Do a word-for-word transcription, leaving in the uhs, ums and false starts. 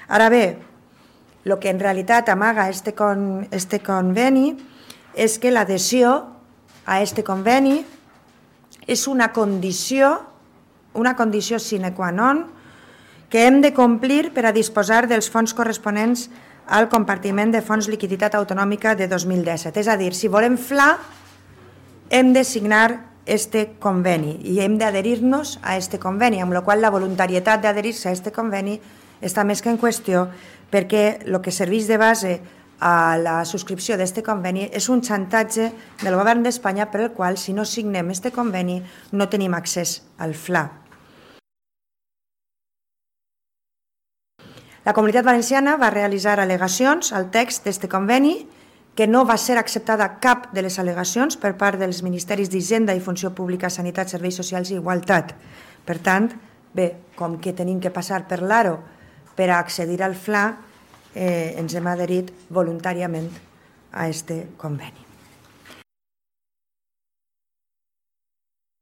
Ara bé, el que en realitat amaga este, con, este conveni és que l'adhesió a este conveni és una condició, una condició sine qua non que hem de complir per a disposar dels fons corresponents al compartiment de fons liquiditat autonòmica de dos mil disset. És a dir, si volem F L A, hem de signar este conveni i hem d'adherir-nos a este conveni, amb la qual la voluntarietat d'adherir-se a este conveni està més que en qüestió, perquè el que serveix de base a la subscripció d'este conveni és un xantatge del govern d'Espanya per el qual, si no signem este conveni, no tenim accés al F L A. La Comunitat Valenciana va realitzar al·legacions al text d'este conveni, que no va ser acceptada cap de les al·legacions per part dels Ministeris d'Hisenda i Funció Pública, Sanitat, Serveis Socials i Igualtat. Per tant, bé, com que tenim que passar per l'Aro per a accedir al F L A, eh, ens hem adherit voluntàriament a este conveni.